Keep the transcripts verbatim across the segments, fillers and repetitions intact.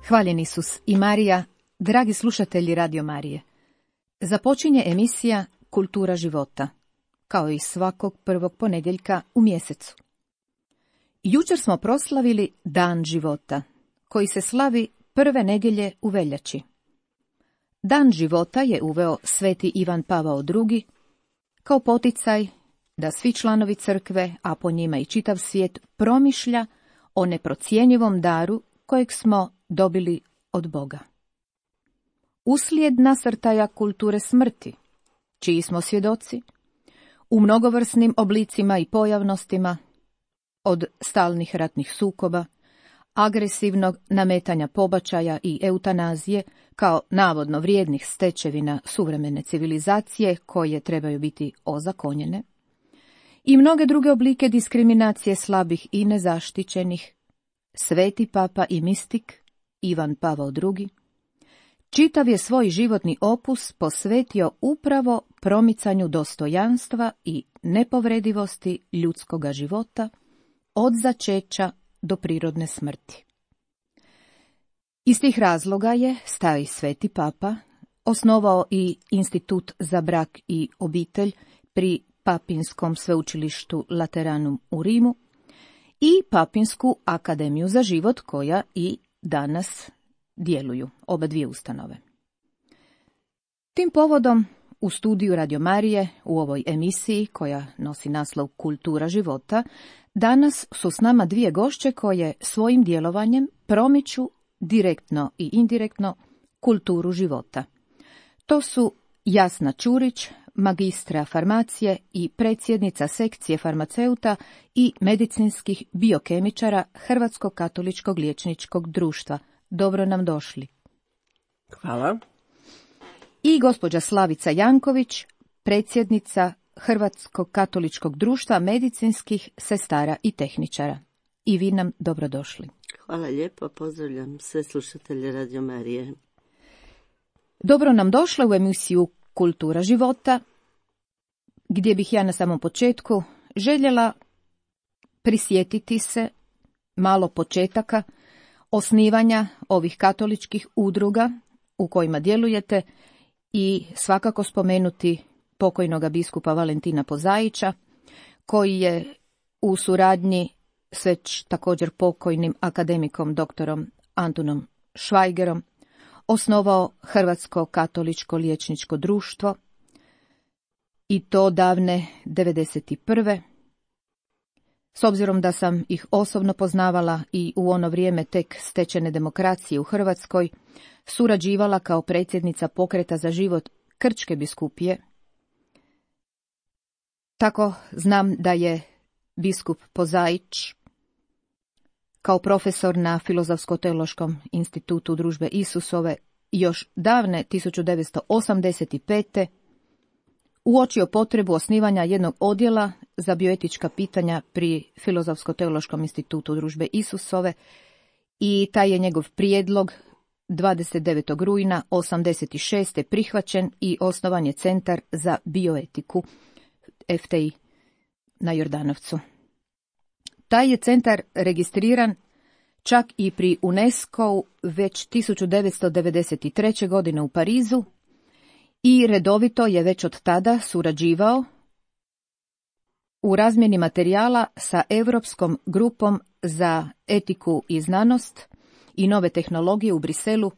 Hvaljen Isus i Marija, dragi slušatelji Radio Marije. Započinje emisija Kultura života, kao i svakog prvog ponedjeljka u mjesecu. Jučer smo proslavili Dan života, koji se slavi prve nedjelje u veljači. Dan života je uveo sveti Ivan Pavao drugi kao poticaj da svi članovi crkve, a po njima i čitav svijet, promišlja o neprocjenjivom daru kojeg smo dobili od Boga. Uslijed nasrtaja kulture smrti, čiji smo svjedoci, u mnogovrsnim oblicima i pojavnostima, od stalnih ratnih sukoba, agresivnog nametanja pobačaja i eutanazije kao navodno vrijednih stečevina suvremene civilizacije koje trebaju biti ozakonjene, i mnoge druge oblike diskriminacije slabih i nezaštićenih, sveti papa i mistik Ivan Pavao drugi čitav je svoj životni opus posvetio upravo promicanju dostojanstva i nepovredivosti ljudskoga života od začeća do prirodne smrti. Iz tih razloga je stari sveti papa osnovao i Institut za brak i obitelj pri Papinskom sveučilištu Lateranum u Rimu i Papinsku akademiju za život, koja i danas djeluju, oba dvije ustanove. Tim povodom u studiju Radio Marije, u ovoj emisiji koja nosi naslov Kultura života, danas su s nama dvije gošće koje svojim djelovanjem promiču direktno i indirektno kulturu života. To su Jasna Ćurić, magistra farmacije i predsjednica sekcije farmaceuta i medicinskih biokemičara Hrvatskog katoličkog liječničkog društva. Dobro nam došli. Hvala. I gospođa Slavica Janković, predsjednica Hrvatskog katoličkog društva medicinskih sestara i tehničara. I vi nam dobrodošli. Hvala lijepo, pozdravljam sve slušatelje Radio Marije. Dobro nam došla u emisiju Kultura života, gdje bih ja na samom početku željela prisjetiti se malo početaka osnivanja ovih katoličkih udruga u kojima djelujete i svakako spomenuti pokojnoga biskupa Valentina Pozaića, koji je u suradnji s već također pokojnim akademikom doktorom Antunom Švajgerom osnovao Hrvatsko katoličko liječničko društvo, i to davne devedeset prve. S obzirom da sam ih osobno poznavala i u ono vrijeme tek stečene demokracije u Hrvatskoj, surađivala kao predsjednica Pokreta za život Krčke biskupije. Tako znam da je biskup Pozaić kao profesor na Filozofsko-teološkom institutu Družbe Isusove još davne tisuću devetsto osamdeset pete. uočio potrebu osnivanja jednog odjela za bioetička pitanja pri Filozofsko-teološkom institutu Družbe Isusove, i taj je njegov prijedlog dvadeset devetog rujna osamdeset šeste prihvaćen i osnovan je Centar za bioetiku F T I na Jordanovcu. Taj je centar registriran čak i pri UNESCO-u već tisuću devetsto devedeset treće. godine u Parizu i redovito je već od tada surađivao u razmjeni materijala sa Europskom grupom za etiku i znanost i nove tehnologije u Briselu,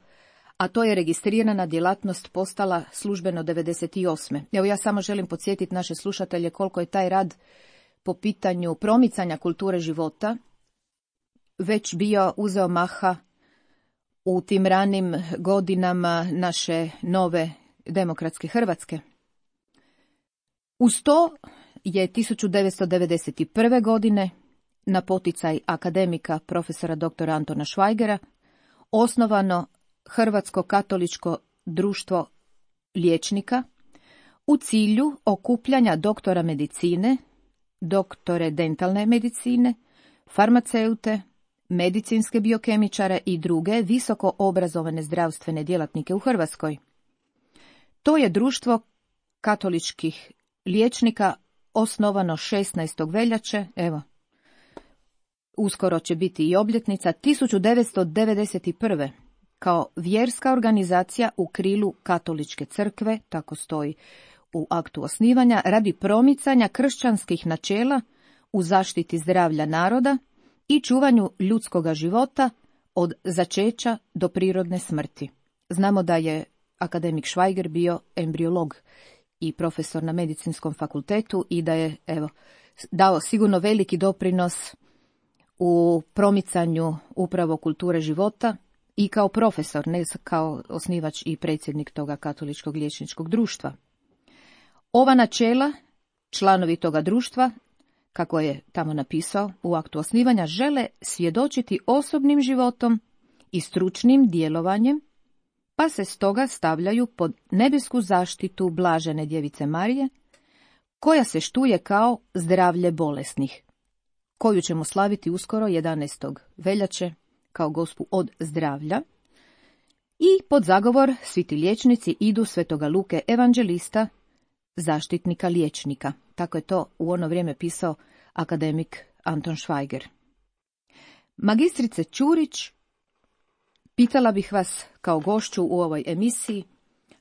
a to je registrirana djelatnost postala službeno devedeset osme. Evo, ja samo želim podsjetiti naše slušatelje koliko je taj rad po pitanju promicanja kulture života već bio uzeo maha u tim ranim godinama naše nove demokratske Hrvatske. Uz to je tisuću devetsto devedeset prve. godine na poticaj akademika profesora doktora Antona Švajgera osnovano Hrvatsko katoličko društvo liječnika u cilju okupljanja doktora medicine, doktore dentalne medicine, farmaceute, medicinske biokemičare i druge visoko obrazovane zdravstvene djelatnike u Hrvatskoj. To je društvo katoličkih liječnika osnovano šesnaestog veljače, evo, uskoro će biti i obljetnica, tisuću devetsto devedeset prve. kao vjerska organizacija u krilu Katoličke crkve, tako stoji u aktu osnivanja, radi promicanja kršćanskih načela u zaštiti zdravlja naroda i čuvanju ljudskoga života od začeća do prirodne smrti. Znamo da je akademik Schweiger bio embriolog i profesor na medicinskom fakultetu i da je, evo, dao sigurno veliki doprinos u promicanju upravo kulture života i kao profesor, ne kao osnivač i predsjednik toga katoličkog liječničkog društva. Ova načela, članovi toga društva, kako je tamo napisao u aktu osnivanja, žele svjedočiti osobnim životom i stručnim djelovanjem, pa se stoga stavljaju pod nebesku zaštitu blažene djevice Marije, koja se štuje kao zdravlje bolesnih, koju ćemo slaviti uskoro jedanaestog veljače kao Gospu od zdravlja, i pod zagovor svi ti liječnici idu svetoga Luke evanđelista, zaštitnika liječnika. Tako je to u ono vrijeme pisao akademik Anton Schweiger. Magistrice Ćurić, pitala bih vas kao gošću u ovoj emisiji,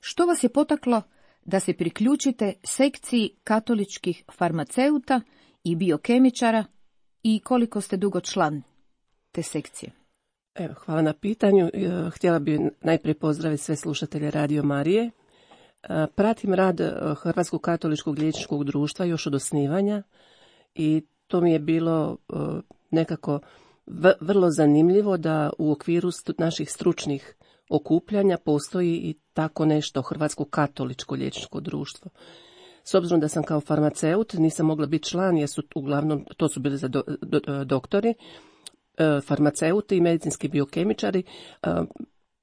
što vas je potaklo da se priključite sekciji katoličkih farmaceuta i biokemičara i koliko ste dugo član te sekcije? Evo, hvala na pitanju. Htjela bih najprije pozdraviti sve slušatelje Radio Marije. Pratim rad Hrvatskog katoličkog liječničkog društva još od osnivanja i to mi je bilo nekako vrlo zanimljivo da u okviru naših stručnih okupljanja postoji i tako nešto Hrvatsko katoličko liječničko društvo. S obzirom da sam kao farmaceut nisam mogla biti član jer su uglavnom, to su bili za do, do, doktori, farmaceuti i medicinski biokemičari.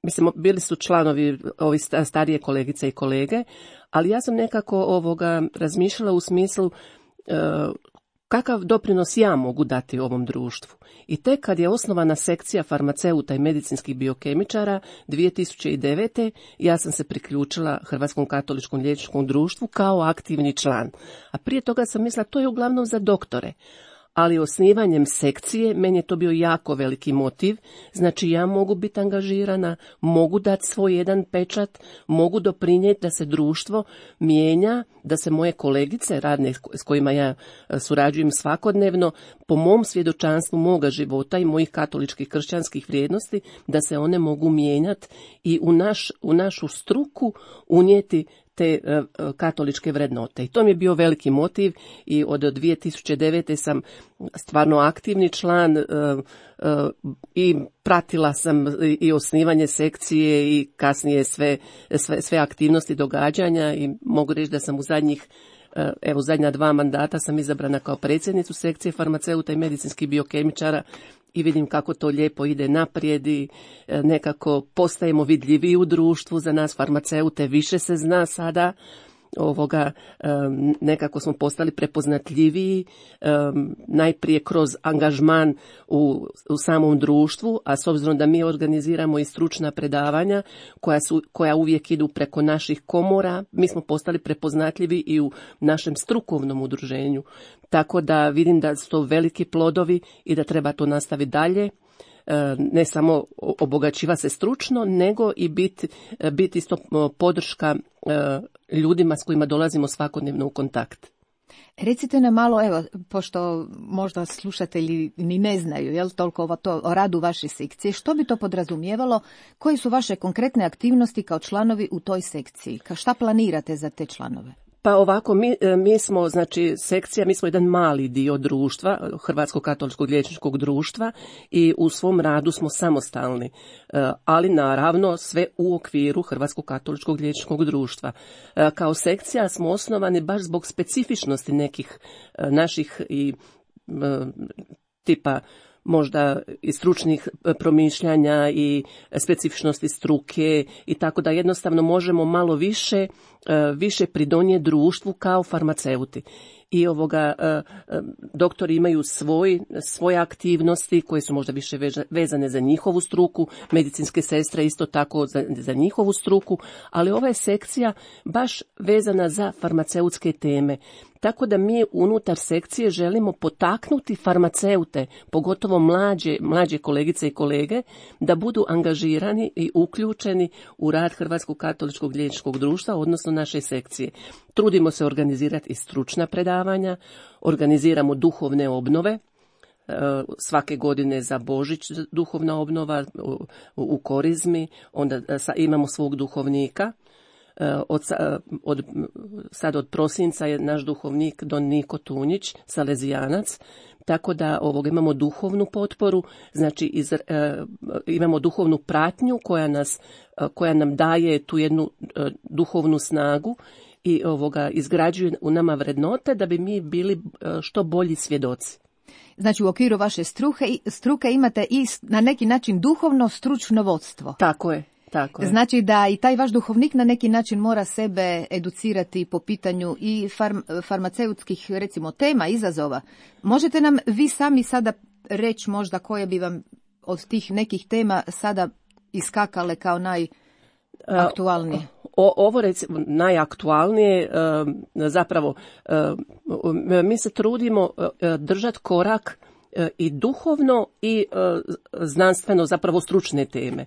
Mislim, bili su članovi ovi starije kolegice i kolege, ali ja sam nekako ovoga razmišljala u smislu kakav doprinos ja mogu dati ovom društvu. I tek kad je osnovana sekcija farmaceuta i medicinskih biokemičara dvije tisuće devete. ja sam se priključila Hrvatskom katoličkom liječničkom društvu kao aktivni član. A prije toga sam mislila to je uglavnom za doktore. Ali osnivanjem sekcije, meni je to bio jako veliki motiv, znači ja mogu biti angažirana, mogu dati svoj jedan pečat, mogu doprinijeti da se društvo mijenja, da se moje kolegice radne s kojima ja surađujem svakodnevno, po mom svjedočanstvu moga života i mojih katoličkih kršćanskih vrijednosti, da se one mogu mijenjati i u, naš, u našu struku unijeti te uh, katoličke vrednote. I to mi je bio veliki motiv i od dvije tisuće devete. sam stvarno aktivni član uh, uh, i pratila sam i osnivanje sekcije i kasnije sve, sve, sve aktivnosti događanja i mogu reći da sam u zadnjih uh, evo zadnja dva mandata sam izabrana kao predsjednicu sekcije farmaceuta i medicinskih biokemičara i vidim kako to lijepo ide naprijed i nekako postajemo vidljiviji u društvu, za nas farmaceute više se zna sada, ovoga, nekako smo postali prepoznatljiviji, najprije kroz angažman u, u samom društvu, a s obzirom da mi organiziramo i stručna predavanja koja, su, koja uvijek idu preko naših komora, mi smo postali prepoznatljivi i u našem strukovnom udruženju. Tako da vidim da su to veliki plodovi i da treba to nastaviti dalje. Ne samo obogaćiva se stručno, nego i biti bit isto podrška ljudima s kojima dolazimo svakodnevno u kontakt. Recite nam malo, evo, pošto možda slušatelji ni ne znaju, jel, toliko o, to, o radu vaše sekcije, što bi to podrazumijevalo, koje su vaše konkretne aktivnosti kao članovi u toj sekciji? Ka šta planirate za te članove? Pa ovako, mi, mi smo, znači, sekcija, mi smo jedan mali dio društva, Hrvatskog katoličkog liječničkog društva i u svom radu smo samostalni, ali naravno sve u okviru Hrvatskog katoličkog liječničkog društva. Kao sekcija smo osnovani baš zbog specifičnosti nekih naših i tipa možda i stručnih promišljanja i specifičnosti struke i tako da jednostavno možemo malo više, više pridonijeti društvu kao farmaceuti. i ovoga doktori imaju svoj, svoje aktivnosti koje su možda više vezane za njihovu struku, medicinske sestre isto tako za, za njihovu struku, ali ova je sekcija baš vezana za farmaceutske teme. Tako da mi unutar sekcije želimo potaknuti farmaceute, pogotovo mlađe, mlađe kolegice i kolege, da budu angažirani i uključeni u rad Hrvatskog katoličkog liječničkog društva, odnosno naše sekcije. Trudimo se organizirati i stručna predavanja, organiziramo duhovne obnove, svake godine za Božić duhovna obnova u, u Korizmi, onda imamo svog duhovnika. Od, od, sad od prosinca je naš duhovnik Don Niko Tunjić, salezijanac, tako da ovog imamo duhovnu potporu, znači iz, e, imamo duhovnu pratnju koja, nas, koja nam daje tu jednu e, duhovnu snagu i ovoga izgrađuje u nama vrednote da bi mi bili e, što bolji svjedoci. Znači u okviru vaše struke, struke imate i na neki način duhovno stručno vodstvo. Tako je. Tako znači da i taj vaš duhovnik na neki način mora sebe educirati po pitanju i farm, farmaceutskih recimo tema, izazova. Možete nam vi sami sada reći možda koje bi vam od tih nekih tema sada iskakale kao najaktualnije? O, ovo recimo najaktualnije zapravo mi se trudimo držati korak i duhovno i znanstveno zapravo stručne teme.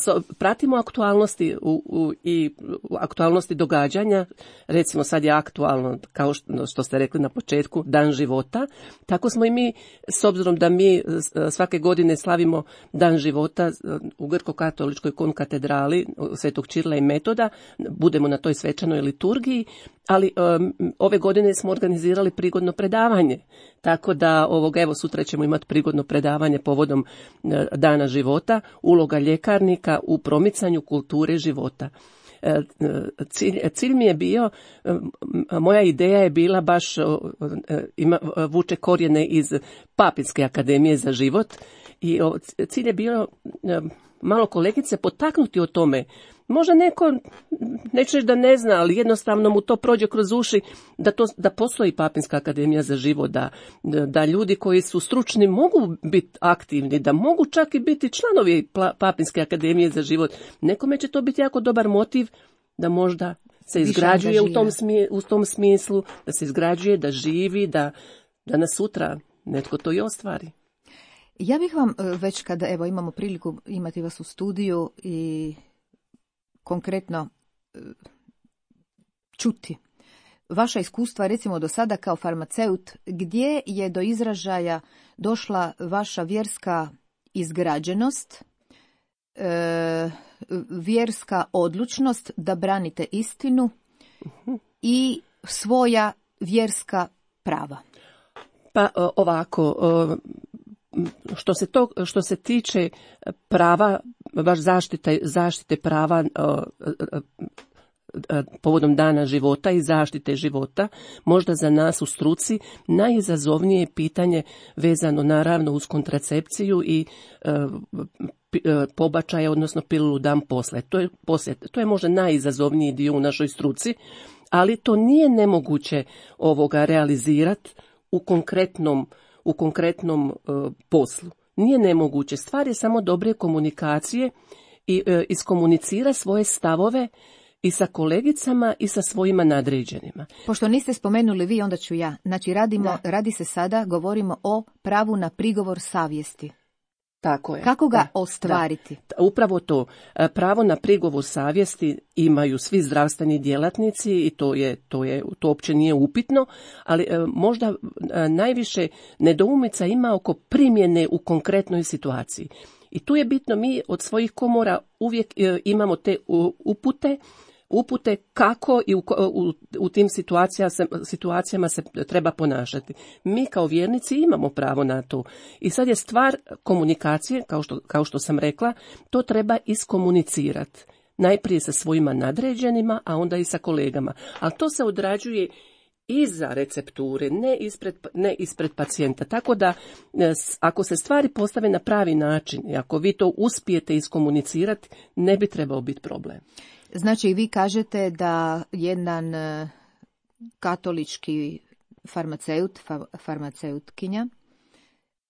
So, pratimo aktualnosti u, u, i u aktualnosti događanja, recimo sad je aktualno, kao što, što ste rekli na početku, Dan života, tako smo i mi, s obzirom da mi svake godine slavimo Dan života u Grko-katoličkoj konkatedrali Svetog Čirila i Metoda, budemo na toj svečanoj liturgiji, ali um, ove godine smo organizirali prigodno predavanje, tako da ovog, evo sutra ćemo imati prigodno predavanje povodom uh, Dana života, uloga ljekarnika u promicanju kulture života. Cilj, cilj mi je bio, moja ideja je bila baš, ima, vuče korijene iz Papinske akademije za život i cilj je bio malo kolegice potaknuti o tome. Možda neko, neću reći da ne zna, ali jednostavno mu to prođe kroz uši da, to, da postoji Papinska akademija za život, da, da ljudi koji su stručni mogu biti aktivni, da mogu čak i biti članovi Papinske akademije za život. Nekome će to biti jako dobar motiv da možda se izgrađuje u tom, smije, u tom smislu, da se izgrađuje, da živi, da, da nas sutra netko to i ostvari. Ja bih vam već kada evo imamo priliku imati vas u studiju i konkretno čuti vaša iskustva recimo do sada kao farmaceut, gdje je do izražaja došla vaša vjerska izgrađenost, e, vjerska odlučnost da branite istinu i svoja vjerska prava? Pa ovako, što se, to, što se tiče prava, baš zaštite, zaštite prava povodom Dana života i zaštite života, možda za nas u struci najizazovnije je pitanje vezano naravno uz kontracepciju i pobačaje, odnosno pilulu dan poslije. To je, poslije. To je možda najizazovniji dio u našoj struci, ali to nije nemoguće ovoga realizirati u konkretnom, u konkretnom uh, poslu. Nije nemoguće. Stvar je samo dobre komunikacije i uh, iskomunicira svoje stavove i sa kolegicama i sa svojima nadređenima. Pošto niste spomenuli vi, onda ću ja. Znači radimo, radi se sada, govorimo o pravu na prigovor savjesti. Tako je. Kako ga da, ostvariti? Da. Upravo to. Pravo na prigovor savjesti imaju svi zdravstveni djelatnici i to je, to je, to uopće nije upitno, ali možda najviše nedoumica ima oko primjene u konkretnoj situaciji. I tu je bitno, mi od svojih komora uvijek imamo te upute, upute kako i u, u, u tim situacijama se, situacijama se treba ponašati. Mi kao vjernici imamo pravo na to. I sad je stvar komunikacije, kao što, kao što sam rekla, to treba iskomunicirati. Najprije sa svojima nadređenima, a onda i sa kolegama. Ali to se odrađuje iza recepture, ne ispred, ne ispred pacijenta. Tako da, ako se stvari postave na pravi način i ako vi to uspijete iskomunicirati, ne bi trebao biti problem. Znači, vi kažete da jedan katolički farmaceut, fa, farmaceutkinja,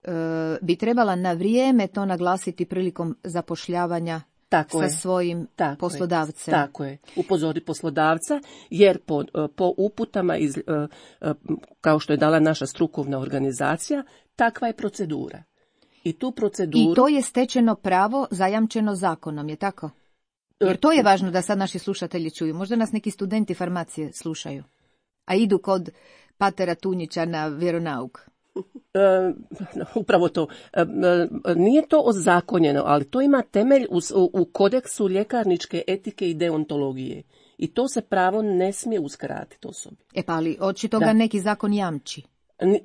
e, bi trebala na vrijeme to naglasiti prilikom zapošljavanja Tako sa je. svojim Tako poslodavcem. Je. Tako je. Upozori poslodavca, jer po, po uputama, iz, kao što je dala naša strukovna organizacija, takva je procedura. I tu proceduru... I to je stečeno pravo zajamčeno zakonom, je tako? Jer to je važno da sad naši slušatelji čuju. Možda nas neki studenti farmacije slušaju, a idu kod patera Tunjića na vjeronauk. E, upravo to. E, nije to ozakonjeno, ali to ima temelj u, u kodeksu ljekarničke etike i deontologije. I to se pravo ne smije uskratiti osobi. E pa ali očito ga Da. neki zakon jamči.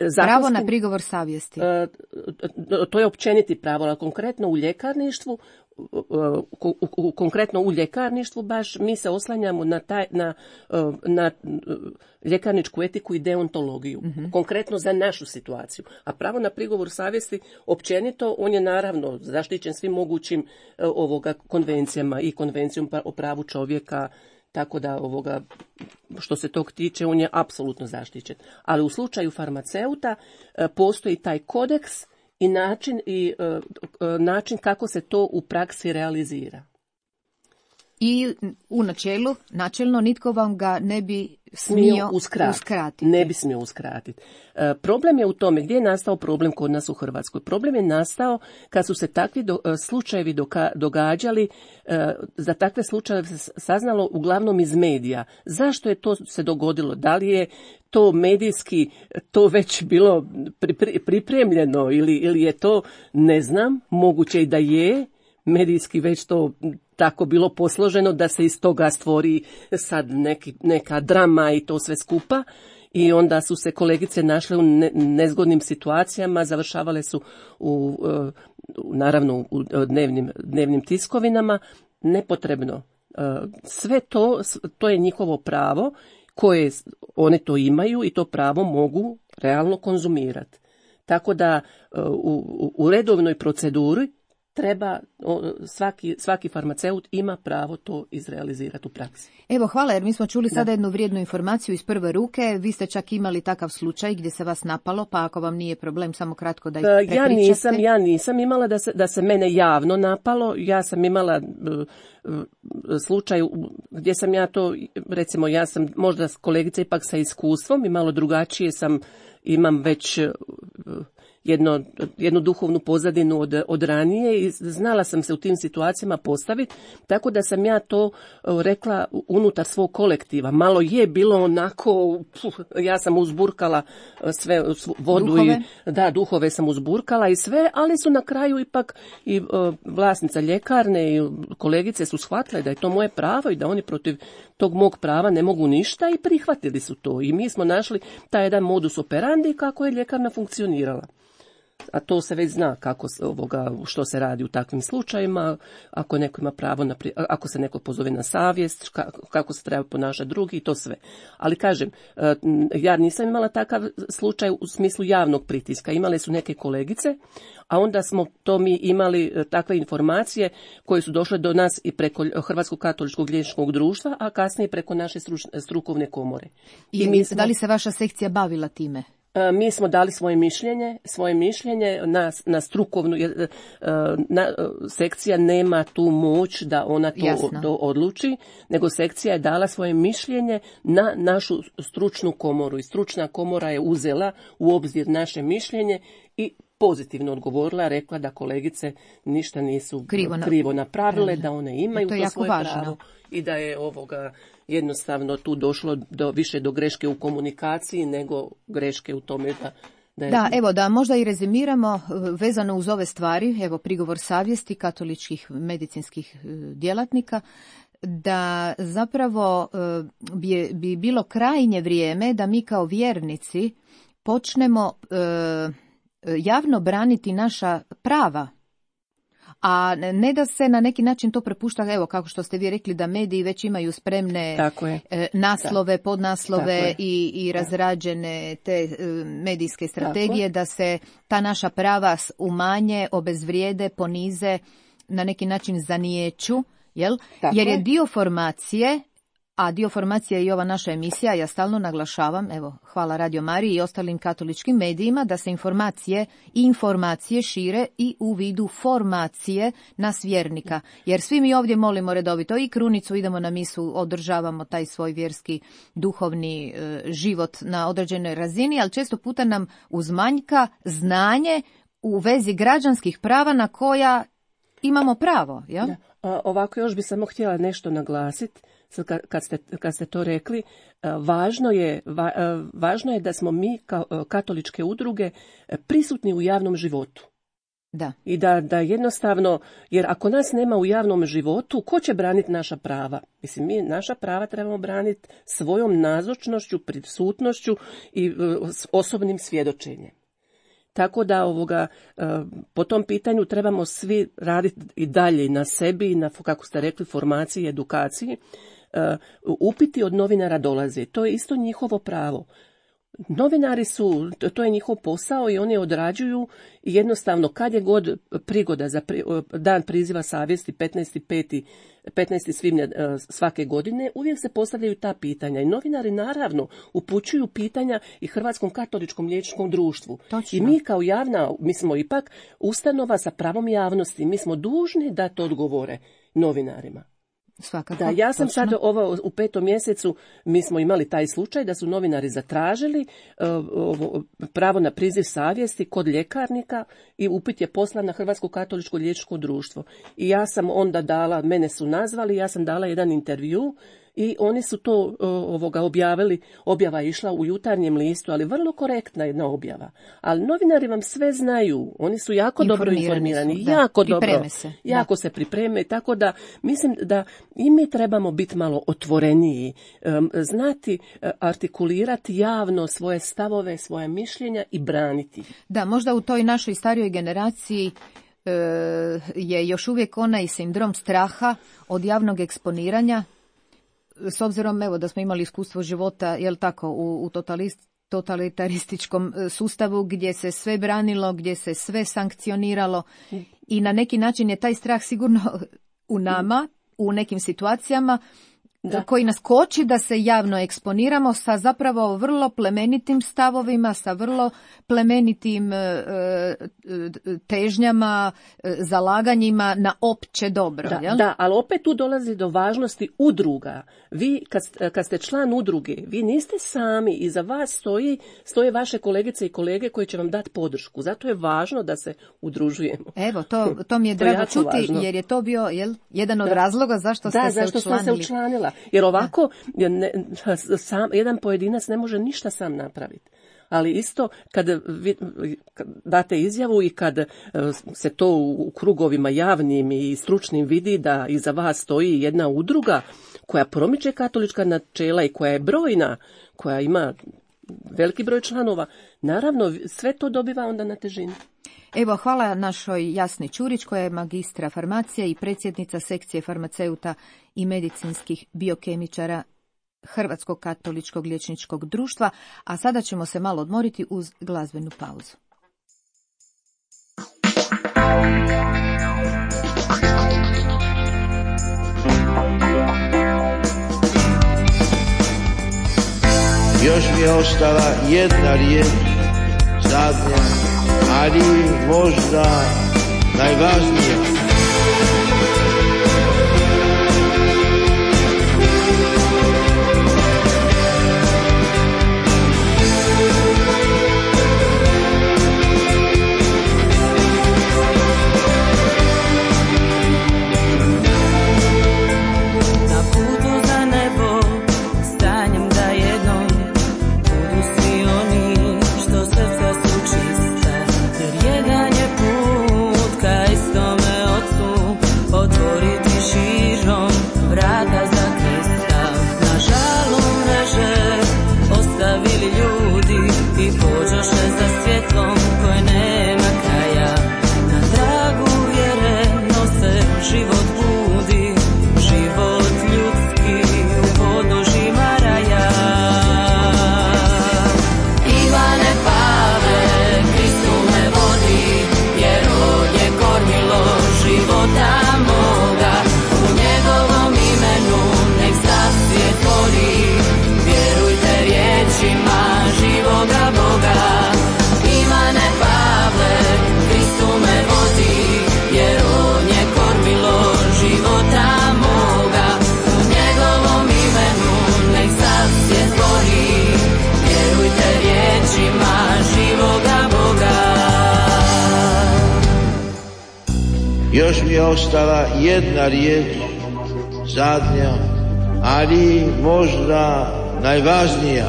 Zakonski, Pravo na prigovor savjesti. E, to je općeniti pravo, ali konkretno u ljekarništvu, u, u, konkretno u ljekarništvu baš mi se oslanjamo na, taj, na, na ljekarničku etiku i deontologiju, mm-hmm. konkretno za našu situaciju. A pravo na prigovor savjesti općenito, on je naravno zaštićen svim mogućim ovoga konvencijama i konvencijom o pravu čovjeka, tako da ovoga, što se tog tiče, on je apsolutno zaštićen. Ali u slučaju farmaceuta postoji taj kodeks i način, i, način kako se to u praksi realizira. I u načelu, načelno nitko vam ga ne bi smio uskratiti. uskratiti. Ne bi smio uskratiti. E, problem je u tome, gdje je nastao problem kod nas u Hrvatskoj? Problem je nastao kad su se takvi do, slučajevi doka, događali, e, za takve slučajeve se saznalo uglavnom iz medija. Zašto je to se dogodilo? Da li je to medijski to već bilo pri, pri, pripremljeno ili, ili je to, ne znam, moguće i da je medijski već to tako bilo posloženo da se iz toga stvori sad neki, neka drama i to sve skupa. I onda su se kolegice našle u ne, nezgodnim situacijama, završavale su u, u naravno u dnevnim, dnevnim tiskovinama. Nepotrebno. Sve to, to je njihovo pravo koje one to imaju i to pravo mogu realno konzumirati. Tako da u, u redovnoj proceduri treba, svaki, svaki farmaceut ima pravo to izrealizirati u praksi. Evo, hvala, jer mi smo čuli da. sada jednu vrijednu informaciju iz prve ruke. Vi ste čak imali takav slučaj gdje se vas napalo, pa ako vam nije problem, samo kratko da ih prepričate. Ja nisam, ja nisam imala da se, da se mene javno napalo. Ja sam imala uh, slučaj gdje sam ja to, recimo ja sam možda kolegica ipak sa iskustvom i malo drugačije sam, imam već uh, Jedno, jednu duhovnu pozadinu od, od ranije i znala sam se u tim situacijama postaviti, tako da sam ja to rekla unutar svog kolektiva. Malo je bilo onako, puh, ja sam uzburkala sve vodu duhove. i da, duhove sam uzburkala i sve, ali su na kraju ipak i uh, vlasnica ljekarne i kolegice su shvatile da je to moje pravo i da oni protiv tog mog prava ne mogu ništa i prihvatili su to. I mi smo našli taj jedan modus operandi kako je ljekarna funkcionirala. A to se već zna kako ovoga, što se radi u takvim slučajima, ako neko ima pravo na, ako se neko pozove na savjest, kako se treba ponašati drugi i to sve. Ali kažem, ja nisam imala takav slučaj u smislu javnog pritiska. Imale su neke kolegice, a onda smo to mi imali takve informacije koje su došle do nas i preko Hrvatskog katoličkog liječničkog društva, a kasnije preko naše strukovne komore. I, I mi smo, da li se vaša sekcija bavila time? Mi smo dali svoje mišljenje, svoje mišljenje na, na strukovnu, na, sekcija nema tu moć da ona to, to odluči, nego sekcija je dala svoje mišljenje na našu stručnu komoru i stručna komora je uzela u obzir naše mišljenje i pozitivno odgovorila, rekla da kolegice ništa nisu krivo, na... krivo napravile, da one imaju to, to svoje važno. Pravo i da je ovoga jednostavno tu došlo do, više do greške u komunikaciji nego greške u tome da... Da, je... da, evo da možda i rezimiramo vezano uz ove stvari, evo prigovor savjesti katoličkih medicinskih djelatnika, da zapravo bi, bi bilo krajnje vrijeme da mi kao vjernici počnemo e, javno braniti naša prava, a ne da se na neki način to prepušta, evo kako što ste vi rekli da mediji već imaju spremne naslove, da. podnaslove i, i razrađene te medijske strategije da se ta naša prava umanje, obezvrijede, ponize, na neki način zaniječu, jel? Jer je dio formacije a dio formacije je i ova naša emisija, ja stalno naglašavam, evo, hvala Radio Mariji i ostalim katoličkim medijima, da se informacije i informacije šire i u vidu formacije nas vjernika. Jer svi mi ovdje molimo redovito i krunicu, idemo na misu, održavamo taj svoj vjerski, duhovni e, život na određenoj razini, ali često puta nam uzmanjka znanje u vezi građanskih prava na koja imamo pravo. Ja? Da. A, ovako još bi samo htjela nešto naglasiti. Kad ste, kad ste to rekli, važno je, va, važno je da smo mi kao katoličke udruge prisutni u javnom životu. Da. I da, da jednostavno, jer ako nas nema u javnom životu, ko će braniti naša prava? Mislim, mi naša prava trebamo braniti svojom nazočnošću, prisutnošću i s osobnim svjedočenjem. Tako da ovoga, po tom pitanju trebamo svi raditi i dalje na sebi, na, kako ste rekli, formaciji i edukaciji. Upiti od novinara dolaze. To je isto njihovo pravo. Novinari su, to je njihov posao i oni odrađuju i jednostavno kad je god prigoda za pri, dan priziva savjesti petnaesti svibnja svake godine, uvijek se postavljaju ta pitanja i novinari naravno upućuju pitanja i Hrvatskom katoličkom liječničkom društvu. Točno. I mi kao javna, mi smo ipak ustanova sa pravom javnosti, mi smo dužni dati odgovore novinarima. Svakako, da, ja sam točno. sad ovo, u petom mjesecu, mi smo imali taj slučaj da su novinari zatražili uh, pravo na priziv savjesti kod ljekarnika i upit je poslan na Hrvatsko katoličko liječničko društvo. I ja sam onda dala, mene su nazvali, ja sam dala jedan intervju i oni su to uh, ovoga objavili, objava je išla u Jutarnjem listu, ali vrlo korektna jedna objava. Ali novinari vam sve znaju, oni su jako dobro informirani, su, jako da, dobro, se, jako da. se pripreme, tako da mislim da i mi trebamo biti malo otvoreniji, um, znati uh, artikulirati javno svoje stavove, svoje mišljenja i braniti. Da, možda u toj našoj starijoj generaciji e, je još uvijek onaj sindrom straha od javnog eksponiranja, s obzirom evo da smo imali iskustvo života, jel tako, u, u totalist, totalitarističkom sustavu gdje se sve branilo, gdje se sve sankcioniralo i na neki način je taj strah sigurno u nama, u nekim situacijama, da. koji nas koči da se javno eksponiramo sa zapravo vrlo plemenitim stavovima, sa vrlo plemenitim e, težnjama, e, zalaganjima na opće dobro. Da, jel? da, ali opet tu dolazi do važnosti udruga. Vi kad, kad ste član udruge, vi niste sami, iza vas stoji, stoje vaše kolegice i kolege koji će vam dati podršku. Zato je važno da se udružujemo. Evo, to, to mi je drago čuti, važno. Jer je to bio jel, jedan od da. razloga zašto ste da, se zašto učlanili. Da, zašto sam se učlanila. Jer ovako ne, sam, jedan pojedinac ne može ništa sam napraviti. Ali isto kad, vi, kad date izjavu i kad se to u krugovima javnim i stručnim vidi da iza vas stoji jedna udruga koja promiče katolička načela i koja je brojna, koja ima veliki broj članova, naravno sve to dobiva onda na težini. Evo, hvala našoj Jasni Ćurić koja je magistra farmacije i predsjednica sekcije farmaceuta i medicinskih biokemičara Hrvatskog katoličkog liječničkog društva, a sada ćemo se malo odmoriti uz glazbenu pauzu. Još mi je ostala jedna riječ, zadnja, ali možda najvažnija. Jedan je put ka istome Još mi je ostala jedna riječ, zadnja, ali možda najvažnija.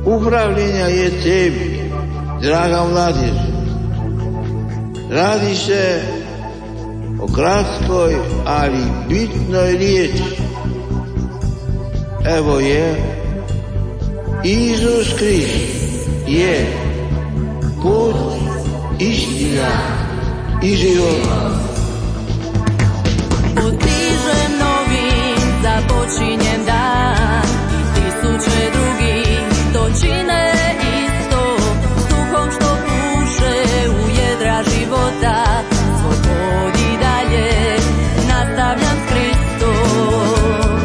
Upravljenja je tebi, draga mladež. Radi se o kratkoj, ali bitnoj riječi. Evo je, Isus Krist je put, istina i život. Utižem novim, započinjem dan, tisuće drugih to čine isto, s duhom što puše u jedra života, svoj put i dalje nastavljam s Kristom.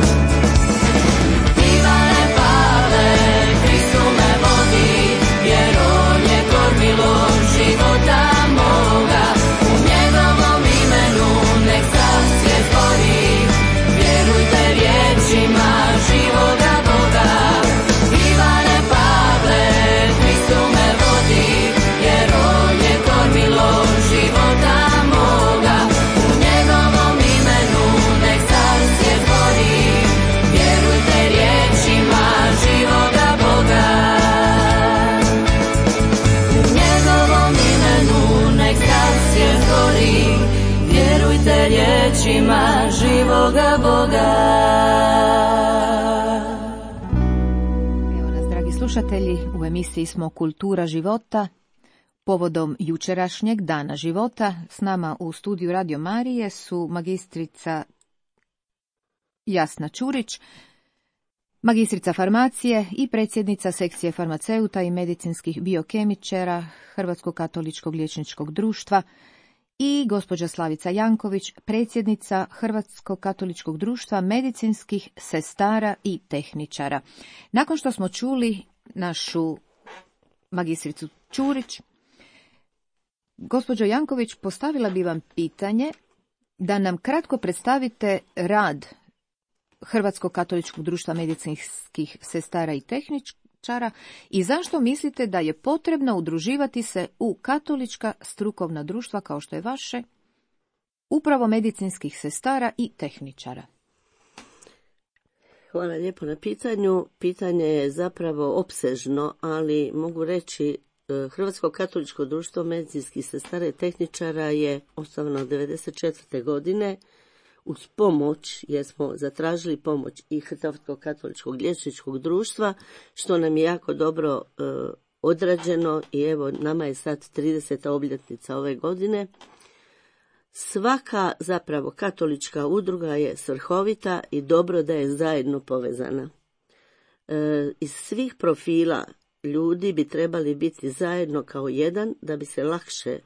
Ivane Pavle, Kristu me vodi, jer on je kormilo života moga, u njegovom imenu nek sam svijet gori, vjerujte riječima živoga Boga. Ivane Pavle, Kristu me vodi, jer on je kormilo života moga, u njegovom imenu nek sam svijet gori, vjerujte riječima živoga Boga. U njegovom imenu nek sam svijet gori, vjerujte riječima živoga Boga. Evo nas, dragi slušatelji, u emisiji smo Kultura života. Povodom jučerašnjeg dana života s nama u studiju Radio Marije su magistrica Jasna Ćurić, magistrica farmacije i predsjednica sekcije farmaceuta i medicinskih biokemičara Hrvatskog katoličkog liječničkog društva i gospođa Slavica Janković, predsjednica Hrvatskog katoličkog društva medicinskih sestara i tehničara. Nakon što smo čuli našu magistricu Ćurić, gospođo Janković, postavila bi vam pitanje da nam kratko predstavite rad Hrvatskog katoličkog društva medicinskih sestara i tehničara i zašto mislite da je potrebno udruživati se u katolička strukovna društva kao što je vaše, upravo medicinskih sestara i tehničara. Hvala lijepo na pitanju. Pitanje je zapravo opsežno, ali mogu reći Hrvatsko katoličko društvo medicinskih sestara i tehničara je osnovano devedeset četvrte. godine uz pomoć, jer smo zatražili pomoć i Hrvatskog katoličkog liječničkog društva, što nam je jako dobro e, odrađeno i evo nama je sad trideseta obljetnica ove godine. Svaka zapravo katolička udruga je svrhovita i dobro da je zajedno povezana. E, iz svih profila ljudi bi trebali biti zajedno kao jedan da bi se lakše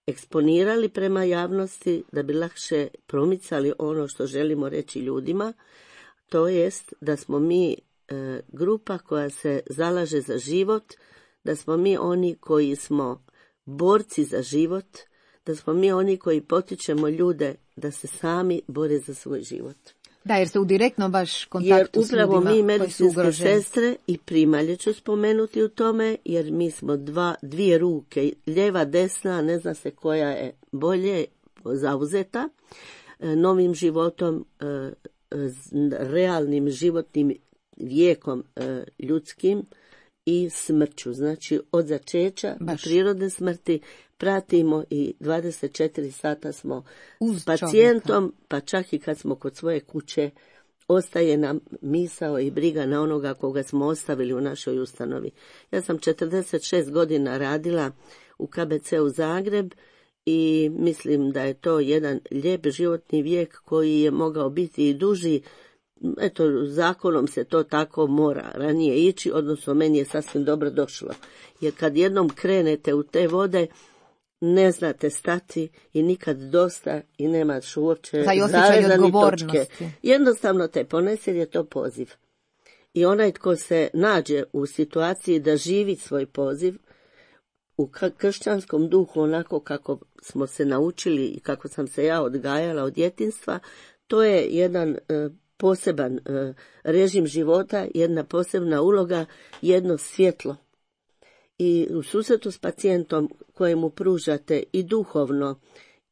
eksponirali prema javnosti, da bi lakše promicali ono što želimo reći ljudima, to jest da smo mi e, grupa koja se zalaže za život, da smo mi oni koji smo borci za život, da smo mi oni koji potičemo ljude da se sami bore za svoj život. Da, jer ste u direktnom baš kontaktu s ljudima. Jer upravo mi medicinske sestre i primalje ću spomenuti u tome, jer mi smo dva, dvije ruke, lijeva, desna, ne zna se koja je bolje zauzeta, novim životom, realnim životnim vijekom ljudskim i smrću. Znači od začeća do prirodne smrti pratimo i dvadeset četiri sata smo uz s pacijentom, čovjeka. Pa čak i kad smo kod svoje kuće, ostaje nam misao i briga na onoga koga smo ostavili u našoj ustanovi. Ja sam četrdeset šest godina radila u K B C-u Zagreb i mislim da je to jedan lijep životni vijek koji je mogao biti i duži. Eto, zakonom se to tako mora ranije ići, odnosno meni je sasvim dobro došlo. Jer kad jednom krenete u te vode, ne znate stati i nikad dosta i nemaš uopće zarezani točke. Jednostavno te ponese jer je to poziv. I onaj tko se nađe u situaciji da živi svoj poziv, u kršćanskom duhu onako kako smo se naučili i kako sam se ja odgajala od djetinjstva, to je jedan e, poseban e, režim života, jedna posebna uloga, jedno svjetlo. I u susretu s pacijentom kojemu pružate i duhovno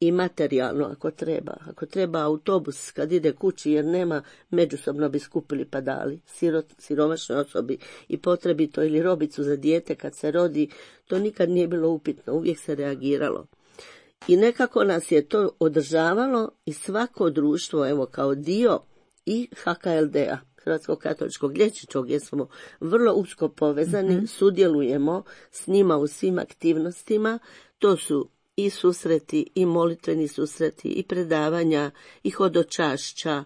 i materijalno ako treba. Ako treba autobus kad ide kući jer nema, međusobno bi skupili pa dali. Sirot, siromašnoj osobi i potrebito ili robicu za dijete kad se rodi, to nikad nije bilo upitno, uvijek se reagiralo. I nekako nas je to održavalo i svako društvo, evo kao dio i H K L D-a, Hrvatskog katoličkog liječničkog, gdje smo vrlo usko povezani, mm-hmm. sudjelujemo s njima u svim aktivnostima, to su i susreti, i molitveni susreti, i predavanja, i hodočašća,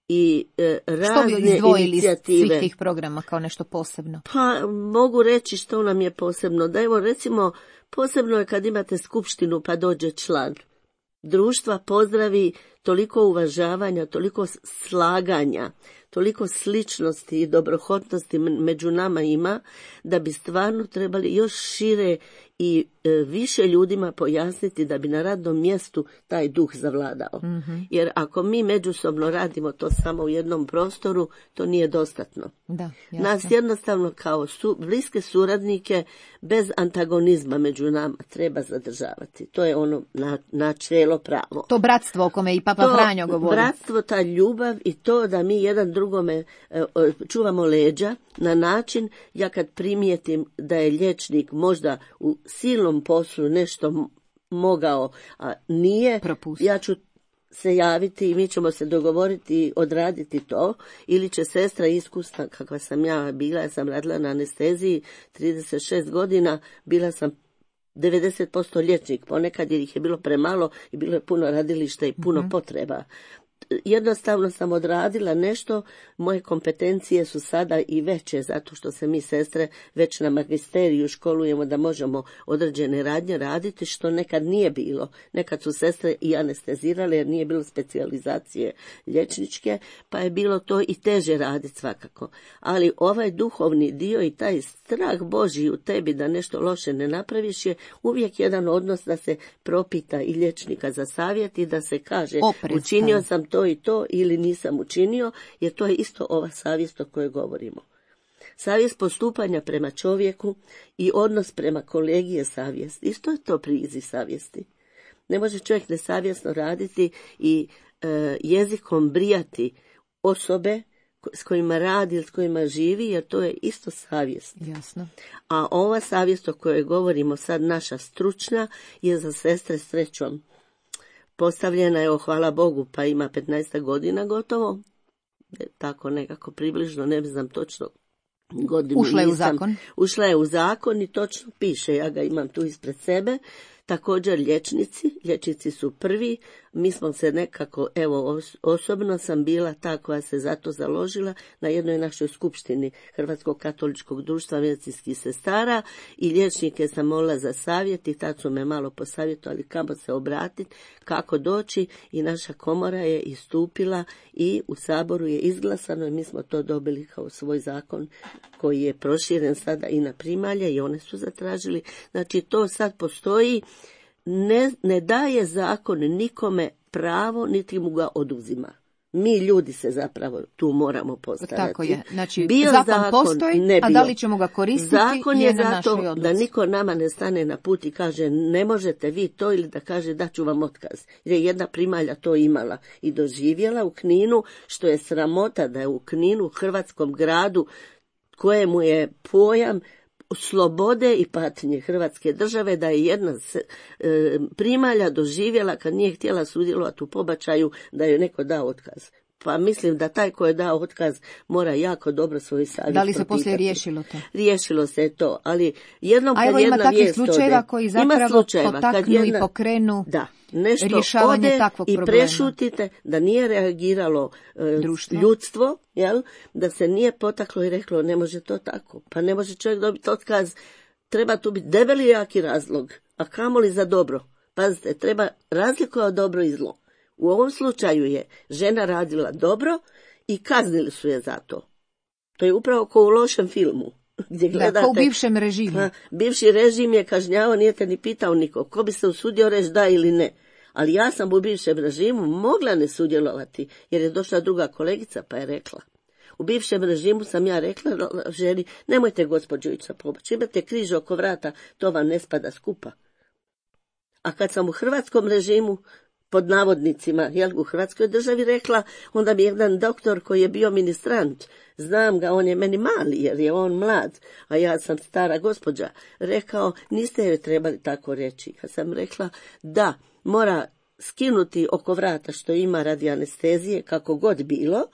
i e, razne inicijative. Što bi izdvojili iz svih tih programa kao nešto posebno? Pa mogu reći što nam je posebno. Da evo recimo, posebno je kad imate skupštinu pa dođe član društva, pozdravi, toliko uvažavanja, toliko slaganja, toliko sličnosti i dobrohotnosti među nama ima, da bi stvarno trebali još šire i e, više ljudima pojasniti da bi na radnom mjestu taj duh zavladao. Mm-hmm. Jer ako mi međusobno radimo to samo u jednom prostoru, to nije dostatno. Da, nas jednostavno kao su, bliske suradnike bez antagonizma među nama treba zadržavati. To je ono na, načelo pravo. To bratstvo o kome i Papa to Franjo govori. Bratstvo, ta ljubav i to da mi jedan drugome e, čuvamo leđa na način, ja kad primijetim da je liječnik možda u silnom poslu nešto mogao, a nije, Propusti. ja ću se javiti i mi ćemo se dogovoriti i odraditi to, ili će sestra iskusna, kakva sam ja bila, ja sam radila na anesteziji trideset šest godina, bila sam devedeset posto liječnik, ponekad jer ih je bilo premalo i bilo je puno radilišta i puno mm-hmm. potreba. Jednostavno sam odradila nešto, moje kompetencije su sada i veće, zato što se mi sestre već na magisteriju školujemo da možemo određene radnje raditi, što nekad nije bilo. Nekad su sestre i anestezirale jer nije bilo specijalizacije liječničke, pa je bilo to i teže raditi svakako. Ali ovaj duhovni dio i taj strah Božji u tebi da nešto loše ne napraviš je uvijek jedan odnos da se propita i liječnika za savjet i da se kaže Oprez, učinio sam to i to ili nisam učinio, jer to je isto ova savjest o kojoj govorimo. Savjest postupanja prema čovjeku i odnos prema kolegi je savjest. Isto je to priziv savjesti. Ne može čovjek nesavjesno raditi i e, jezikom brijati osobe s kojima radi ili s kojima živi, jer to je isto savjest. Jasno. A ova savjest o kojoj govorimo sad, naša stručna, je za sestre srećom postavljena je, hvala Bogu, pa ima petnaest godina gotovo, tako nekako približno, ne znam točno godinu. Ušla je nisam, u zakon? Ušla je u zakon i točno piše, ja ga imam tu ispred sebe. Također liječnici, liječnici su prvi, mi smo se nekako, evo osobno sam bila ta koja se za to založila na jednoj našoj skupštini Hrvatskog katoličkog društva medicinskih sestara i liječnike sam molila za savjet i tad su me malo posavjetovali kamo se obratiti, kako doći i naša komora je istupila i u Saboru je izglasano i mi smo to dobili kao svoj zakon koji je proširen sada i na primalje i one su zatražili. Znači to sad postoji, ne, ne daje zakon nikome pravo, niti mu ga oduzima. Mi ljudi se zapravo tu moramo postarati. Tako je. Znači, bio zakon, zakon postoji, ne bio. A da li ćemo ga koristiti zakon je, je na zato našoj odluci. Da niko nama ne stane na put i kaže ne možete vi to, ili da kaže da ću vam otkaz. Jer je jedna primalja to imala i doživjela u Kninu, što je sramota da je u Kninu, hrvatskom gradu, kojemu je pojam slobode i patnje Hrvatske države, da je jedna se, e, primalja doživjela kad nije htjela sudjelovati u pobačaju da joj neko dao otkaz. Pa mislim da taj ko je dao otkaz mora jako dobro svoju savjest. Da li se poslije riješilo to? Riješilo se to, ali jednom kad A evo jedna ima takvih slučajeva ode, koji zapravo potaknu jedna, i pokrenu da, nešto rješavanje ode takvog i problema. Prešutite da nije reagiralo e, ljudstvo, jel? Da se nije potaklo i reklo ne može to tako. Pa ne može čovjek dobiti otkaz, treba tu biti debeli jaki razlog, a kamoli za dobro. Pazite, treba razlikovati dobro i zlo. U ovom slučaju je žena radila dobro i kaznili su je za to. To je upravo kao u lošem filmu. Gdje gledate, da, kao u bivšem režimu. Ha, bivši režim je kažnjavao, nije te ni pitao niko. Ko bi se usudio reći da ili ne. Ali ja sam u bivšem režimu mogla ne sudjelovati, jer je došla druga kolegica pa je rekla. U bivšem režimu sam ja rekla ženi, nemojte gospođo ići na pobačaj, imate križ oko vrata, to vam ne spada skupa. A kad sam u hrvatskom režimu, pod navodnicima, jel, u Hrvatskoj državi rekla, onda mi jedan doktor koji je bio ministrant, znam ga, on je meni mali jer je on mlad, a ja sam stara gospođa, rekao, niste joj trebali tako reći. Ja sam rekla, da, mora skinuti oko vrata što ima radi anestezije, kako god bilo,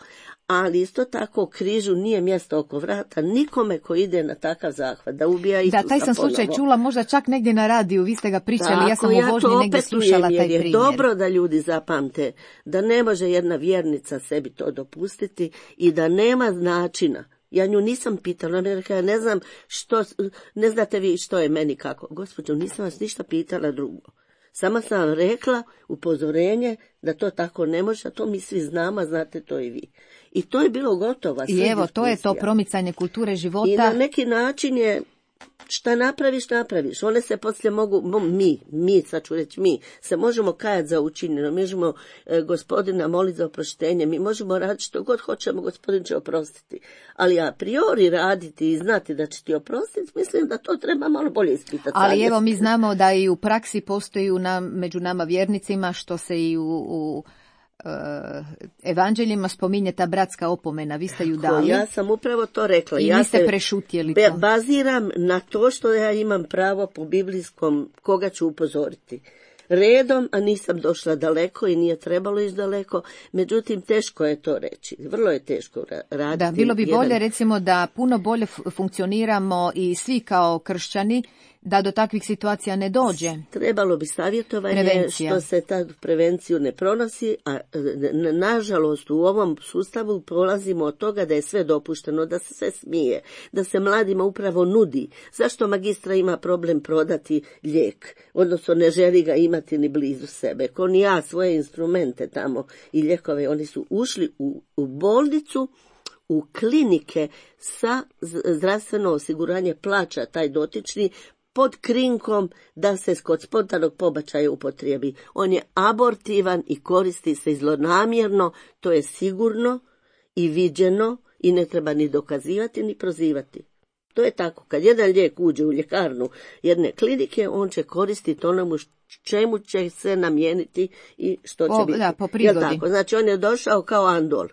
ali isto tako križu nije mjesto oko vrata nikome ko ide na takav zahvat, da ubija Isusa Da, taj sam slučaj ponovo. čula možda čak negdje na radiju, vi ste ga pričali, Tako, ja sam u vožnji negdje slušala taj primjer. Je dobro da ljudi zapamte da ne može jedna vjernica sebi to dopustiti i da nema načina. Ja nju nisam pitala, ona mi je rekla, ja ne znam što, ne znate vi što je meni kako. Gospođo, nisam vas ništa pitala drugo. Samo sam vam rekla upozorenje da to tako ne može, a to mi svi znamo, znate to i vi. I to je bilo gotovo. I evo, to je to promicanje kulture života. I na neki način je, šta napraviš, napraviš. One se poslije mogu, mi, mi, sad ću reći mi, se možemo kajati za učinjeno, mi možemo e, gospodina moliti za oproštenje, mi možemo raditi što god hoćemo, gospodin će oprostiti. Ali a priori raditi i znati da će ti oprostiti, mislim da to treba malo bolje ispitati. Ali evo, mi znamo da i u praksi postoji u nam, među nama vjernicima, što se i u... u evanđeljima spominje ta bratska opomena, vi ste ju dali. Ja sam upravo to rekla. I ja niste se prešutjeli to. Baziram na to što ja imam pravo po biblijskom koga ću upozoriti. Redom, a nisam došla daleko i nije trebalo ići daleko, međutim teško je to reći, vrlo je teško raditi. Da, bilo bi bolje jedan... recimo da puno bolje funkcioniramo i svi kao kršćani, da do takvih situacija ne dođe. Trebalo bi savjetovanje Prevencija. Što se ta prevenciju ne pronosi, a nažalost u ovom sustavu polazimo od toga da je sve dopušteno, da se sve smije, da se mladima upravo nudi. Zašto magistra ima problem prodati lijek, odnosno ne želi ga imati ni blizu sebe? Ko ni ja svoje instrumente tamo i lijekove, oni su ušli u, u bolnicu, u klinike sa zdravstveno osiguranje plaća taj dotični, pod krinkom da se kod spontanog pobačaja upotrijebi. On je abortivan i koristi se zlonamjerno, to je sigurno i viđeno i ne treba ni dokazivati ni prozivati. To je tako. Kad jedan lijek uđe u ljekarnu jedne klinike, on će koristiti onomu čemu će se namijeniti i što će po, biti. Da, po prigodi. Tako? Znači on je došao kao andol.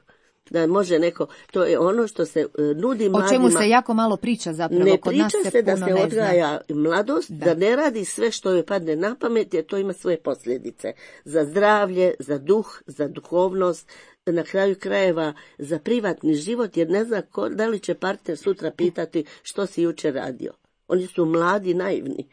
Da može neko, to je ono što se uh, nudi mladima. O čemu se jako malo priča zapravo. Ne Kod priča nas se, se da puno se ne odgaja zna. mladost, da. da ne radi sve što joj padne na pamet, jer to ima svoje posljedice. Za zdravlje, za duh, za duhovnost, na kraju krajeva za privatni život, jer ne zna ko, da li će partner sutra pitati što si jučer radio. Oni su mladi, naivni.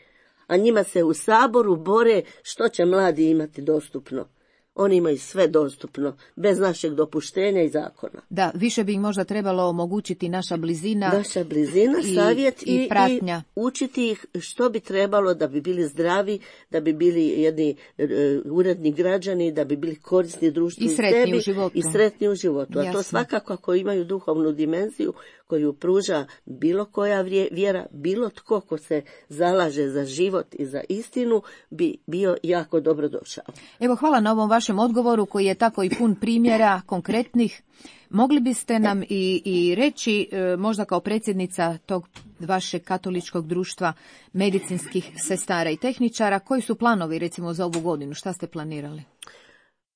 A njima se u Saboru bore što će mladi imati dostupno. Oni imaju sve dostupno, bez našeg dopuštenja i zakona. Da, više bi im možda trebalo omogućiti naša blizina. Naša blizina, i, savjet i, i pratnja. I učiti ih što bi trebalo da bi bili zdravi, da bi bili jedni uh, uredni građani, da bi bili korisni društvu i sretni sebi, u životu. I sretni u životu. Jasno. A to svakako ako imaju duhovnu dimenziju koju pruža bilo koja vjera, bilo tko ko se zalaže za život i za istinu, bi bio jako dobro došao. Evo, hvala na ovom vašem odgovoru koji je tako i pun primjera konkretnih. Mogli biste nam i, i reći, možda kao predsjednica tog vašeg katoličkog društva medicinskih sestara i tehničara, koji su planovi recimo za ovu godinu? Šta ste planirali?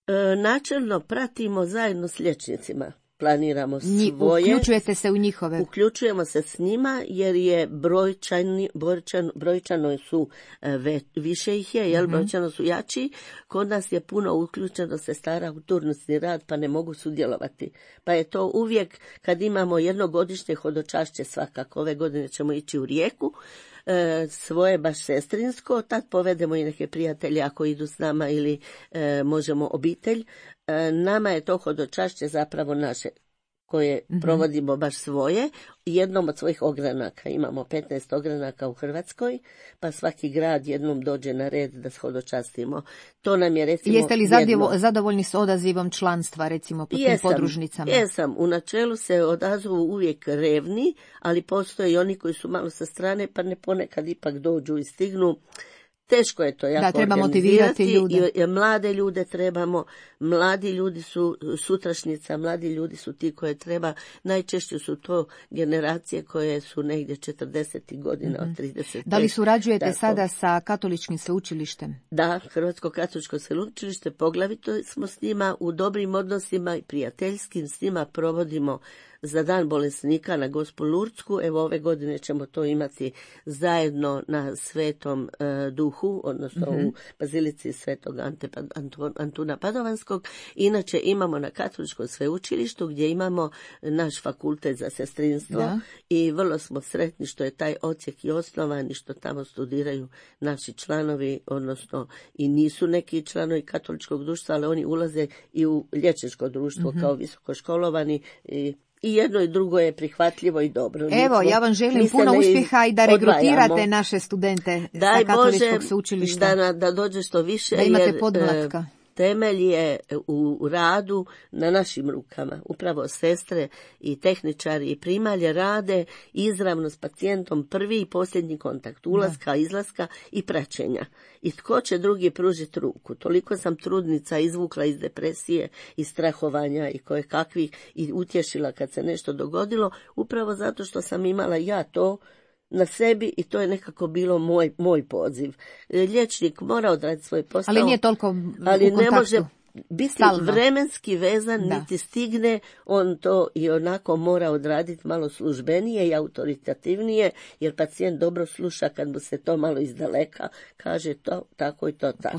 E, načelno pratimo zajedno s liječnicima. Planiramo svoje. Uključujete se u njihove? Uključujemo se s njima jer je brojčani, brojčan, brojčano su ve, više ih je, jel, mm-hmm. brojčano su jači. Kod nas je puno uključeno sestara u turnusni rad pa ne mogu sudjelovati. Pa je to uvijek kad imamo jednogodišnje hodočašće svakako. Ove godine ćemo ići u Rijeku. E, svoje baš sestrinsko, tad povedemo i neke prijatelje ako idu s nama ili e, možemo obitelj. E, nama je to hodočašće zapravo naše koje mm-hmm. provodimo baš svoje. Jednom od svojih ogranaka, imamo petnaest ogranaka u Hrvatskoj, pa svaki grad jednom dođe na red da hodočastimo. To nam je recimo Jeste li jedno... zadovoljni s odazivom članstva recimo po tim podružnicama? Jesam, u načelu se odazovu uvijek revni, ali postoje i oni koji su malo sa strane pa ne ponekad ipak dođu i stignu. teško je to jako da, treba motivirati ljude. I, i mlade ljude trebamo, mladi ljudi su sutrašnjica, mladi ljudi su ti koje treba, najčešće su to generacije koje su negdje četrdesetih godina, mm-hmm. od trideset pet. Da li surađujete da, sada sa katoličkim sveučilištem? Da, Hrvatsko katoličko sveučilište, poglavito smo s njima u dobrim odnosima i prijateljskim, s njima provodimo za dan bolesnika na Gospu Lurdsku. Evo ove godine ćemo to imati zajedno na Svetom e, Duhu, odnosno mm-hmm. u Bazilici Svetog Ante, Antu, Antuna Padovanskog. Inače imamo na Katoličkom sveučilištu gdje imamo naš fakultet za sestrinstvo da. I vrlo smo sretni što je taj odsjek i osnovan i što tamo studiraju naši članovi, odnosno i nisu neki članovi katoličkog društva, ali oni ulaze i u liječničko društvo mm-hmm. kao visokoškolovani i I jedno i drugo je prihvatljivo i dobro. Evo, Nismo, ja vam želim puno uspjeha i da regrutirate odvajamo. Naše studente Daj sa katoličkog Bože, sveučilišta. Da, da dođe što više, da imate jer podmlatka. Temelj je u radu na našim rukama. Upravo sestre i tehničari i primalje rade izravno s pacijentom prvi i posljednji kontakt, ulaska, da. Izlaska i praćenja. I tko će drugi pružiti ruku? Toliko sam trudnica izvukla iz depresije i strahovanja i koje kakvih i utješila kad se nešto dogodilo, upravo zato što sam imala ja to na sebi i to je nekako bilo moj, moj poziv. Liječnik mora odraditi svoj posao. Ali nije toliko ali u ne može biti stalno. Vremenski vezan, da. Niti stigne, on to i onako mora odraditi malo službenije i autoritativnije, jer pacijent dobro sluša kad mu se to malo izdaleka kaže to tako i to tako.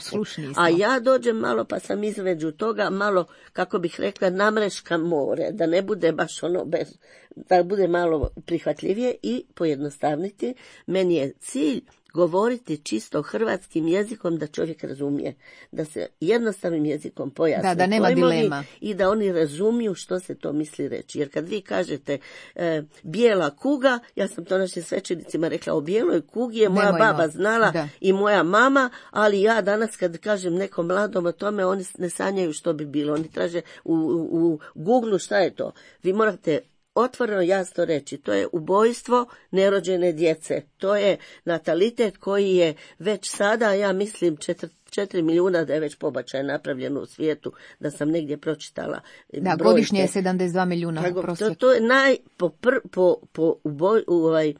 A ja dođem malo pa sam između toga malo, kako bih rekla, namreškam more, da ne bude baš ono bez, da bude malo prihvatljivije i pojednostavniti. Meni je cilj govoriti čisto hrvatskim jezikom da čovjek razumije, da se jednostavnim jezikom pojasni da, da nema dilema i da oni razumiju što se to misli reći. Jer kad vi kažete e, bijela kuga, ja sam to našim svećenicima rekla, o bijeloj kugi je moja Nemojmo. baba znala da. I moja mama, ali ja danas kad kažem nekom mladom o tome, oni ne sanjaju što bi bilo. Oni traže u, u, u Google šta je to. Vi morate otvoreno jasno reći, to je ubojstvo nerođene djece. To je natalitet koji je već sada, ja mislim, četiri, četiri milijuna da je već pobačaj napravljeno u svijetu, da sam negdje pročitala. Da, brojke. Godišnje je sedamdeset dva milijuna prosjek. To, to je naj, po, pr, po, po, uboj, ovaj,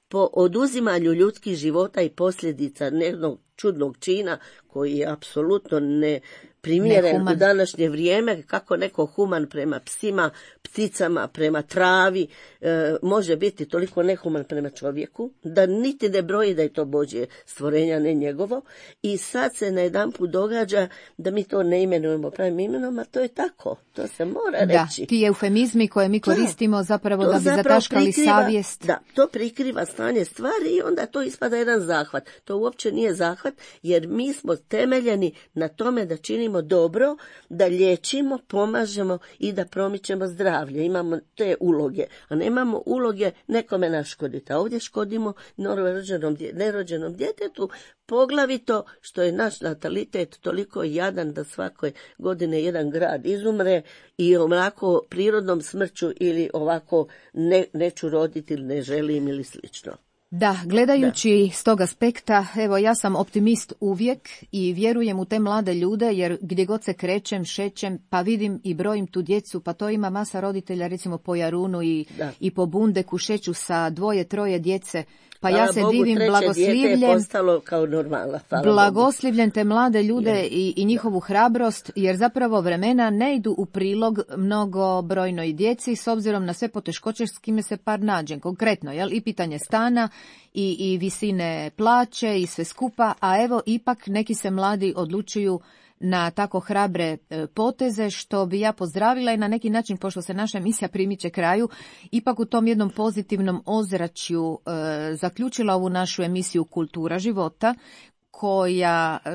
po oduzimanju ljudskih života i posljedica jednog čudnog čina koji je apsolutno ne primjeren u današnje vrijeme, kako neko human prema psima, pticama, prema travi, e, može biti toliko nehuman prema čovjeku, da niti ne broji da je to Božje stvorenja, ne njegovo. I sad se najedanput događa da mi to ne imenujemo pravim imenom, a to je tako, to se mora da, reći. Ti eufemizmi koje mi koristimo da, zapravo da bi zataškali prikriva, savjest. Da, to prikriva stanje stvari i onda to ispada jedan zahvat. To uopće nije zahvat, jer mi smo temeljeni na tome da činimo dobro, da liječimo, pomažemo i da promičemo zdravlje. Imamo te uloge, a nemamo uloge nekome naškoditi. A ovdje škodimo nerođenom, nerođenom djetetu, poglavito što je naš natalitet toliko jadan da svake godine jedan grad izumre i ovako prirodnom smrću ili ovako ne, neću roditi ili ne želim ili slično. Da, gledajući da. S tog aspekta, evo ja sam optimist uvijek i vjerujem u te mlade ljude, jer gdje god se krećem, šećem, pa vidim i brojim tu djecu, pa to ima masa roditelja recimo po Jarunu i, i po Bundeku šeću sa dvoje, troje djece. Pa ja se Bogu, divim blagoslivljem, kao normala, blagoslivljem te mlade ljude i, i njihovu hrabrost, jer zapravo vremena ne idu u prilog mnogobrojnoj djeci s obzirom na sve poteškoće s kime se par nađe. Konkretno, jel, i pitanje stana i, i visine plaće i sve skupa, a evo ipak neki se mladi odlučuju na tako hrabre poteze, što bi ja pozdravila i na neki način, pošto se naša emisija primiče kraju, ipak u tom jednom pozitivnom ozračju e, zaključila ovu našu emisiju Kultura života, koja e,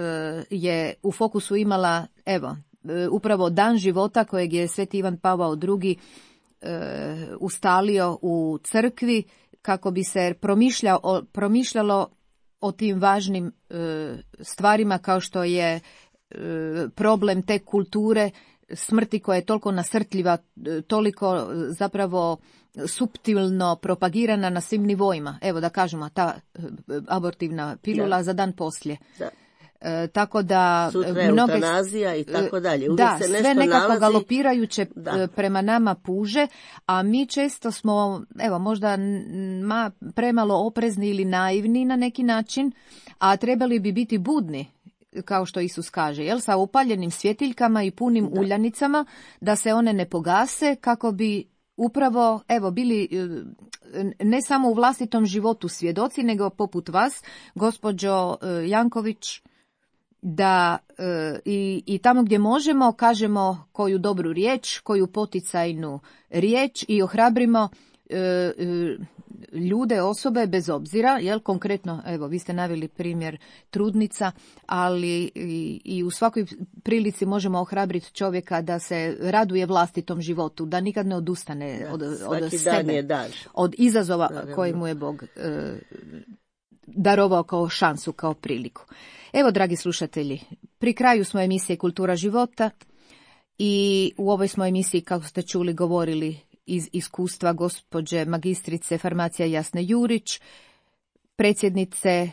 je u fokusu imala, evo, e, upravo dan života kojeg je Sveti Ivan Pavao drugi e, ustalio u crkvi, kako bi se promišljalo, promišljalo o tim važnim e, stvarima kao što je problem te kulture smrti koja je toliko nasrtljiva, toliko zapravo suptilno propagirana na svim nivoima. Evo da kažemo, ta abortivna pilula da. za dan poslije. Da. E, tako da sutra je mnoge, eutanazija i tako dalje. Uvijek da, se nešto sve nekako nalazi. galopirajuće Da. prema nama puže, a mi često smo, evo, možda ma, premalo oprezni ili naivni na neki način, a trebali bi biti budni, kao što Isus kaže, jel, sa upaljenim svjetiljkama i punim da. uljanicama, da se one ne pogase, kako bi upravo, evo, bili ne samo u vlastitom životu svjedoci, nego poput vas, gospođo Janković, da e, i, i tamo gdje možemo kažemo koju dobru riječ, koju poticajnu riječ i ohrabrimo e, e, ljude, osobe bez obzira, jel, konkretno, evo, vi ste naveli primjer trudnica, ali i, i u svakoj prilici možemo ohrabriti čovjeka da se raduje vlastitom životu, da nikad ne odustane da, od, od sebe, od izazova da, koje mu je Bog e, darovao kao šansu, kao priliku. Evo, dragi slušatelji, pri kraju smo emisije Kultura života i u ovoj smo emisiji, kako ste čuli, govorili iz iskustva gospođe magistrice farmacija Jasne Jurić, predsjednice e,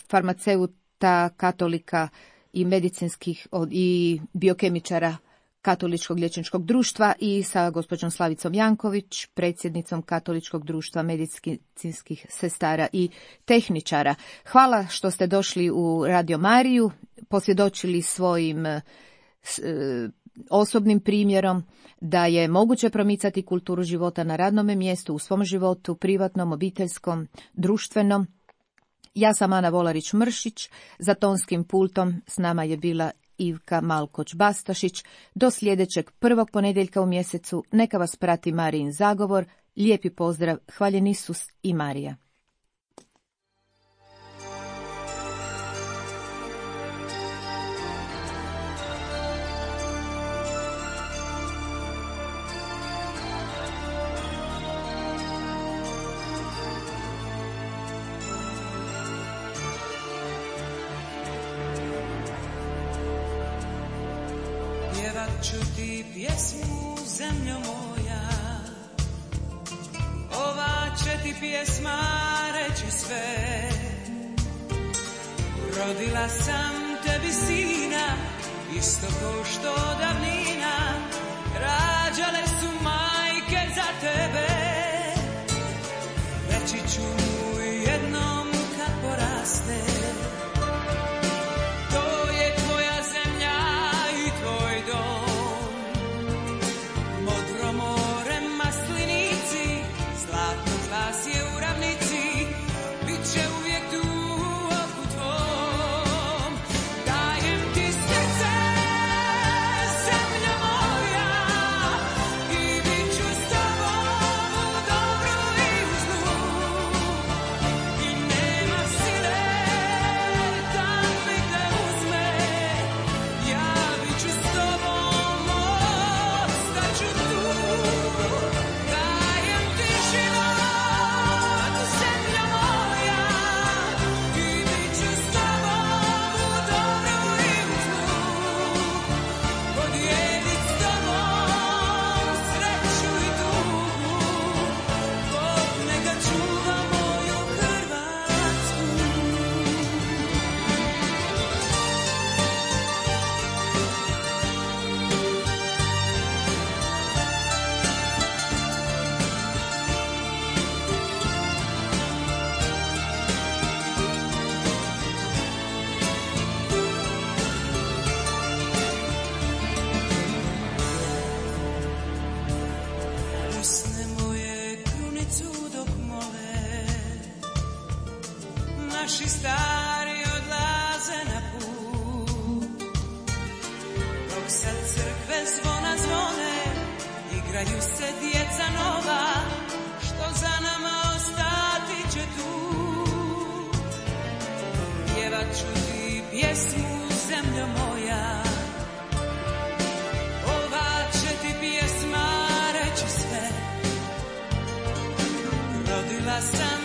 farmaceuta, katolika i medicinskih i biokemičara Katoličkog liječničkog društva i sa gospođom Slavicom Janković, predsjednicom Katoličkog društva medicinskih sestara i tehničara. Hvala što ste došli u Radio Mariju, posvjedočili svojim e, osobnim primjerom da je moguće promicati kulturu života na radnom mjestu, u svom životu, privatnom, obiteljskom, društvenom. Ja sam Ana Volarić-Mršić, za tonskim pultom s nama je bila Ivka Malkoć-Bastašić. Do sljedećeg prvog ponedjeljka u mjesecu neka vas prati Marijin zagovor. Lijepi pozdrav, hvaljen Isus i Marija. Ću ti pjesmu, zemljo moja, ova će ti pjesma reći sve. Rodila sam tebi sina, isto ko što davnina rađale su majke za tebe. Reći ću mu jednom kad poraste, naši stari odlaze na put, dok sad crkve zvona zvone, igraju se djeca nova, što za nama ostati će tu. Pjevat ću ti pjesmu, zemljo moja, ova će ti pjesma reći sve. Rodila sam